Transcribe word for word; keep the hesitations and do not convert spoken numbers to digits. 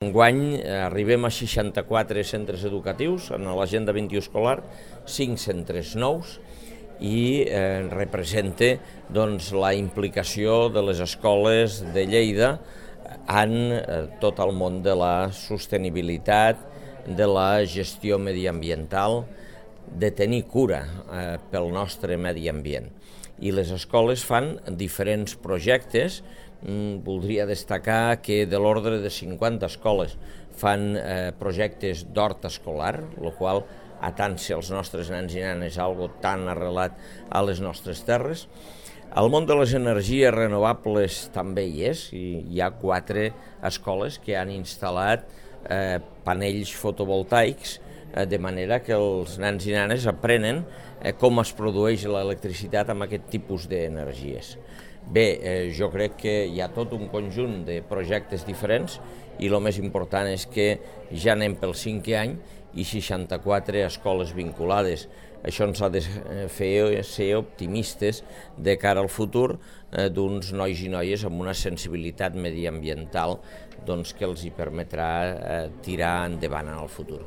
Enguany arribem a seixanta-quatre centres educatius en l'agenda vint-i-u escolar, cinc centres nous i eh, representa doncs, la implicació de les escoles de Lleida en eh, tot el món de la sostenibilitat, de la gestió mediambiental, de tenir cura eh, pel nostre medi ambient. I les escoles fan diferents projectes. Mm, voldria destacar que de l'ordre de cinquanta escoles fan eh, projectes d'hort escolar, el qual atansa els nostres nens i nenes algo tan arrelat a les nostres terres. El món de les energies renovables també hi és, i hi ha quatre escoles que han instal·lat eh, panells fotovoltaics, eh, de manera que els nens i nenes aprenen eh, com es produeix l'electricitat amb aquest tipus d'energies. Bé, eh, jo crec que hi ha tot un conjunt de projectes diferents i el més important és que ja anem pel cinquè any i seixanta-quatre escoles vinculades. Això ens ha de fer ser optimistes de cara al futur eh, d'uns nois i noies amb una sensibilitat mediambiental doncs, que els hi permetrà eh, tirar endavant en el futur.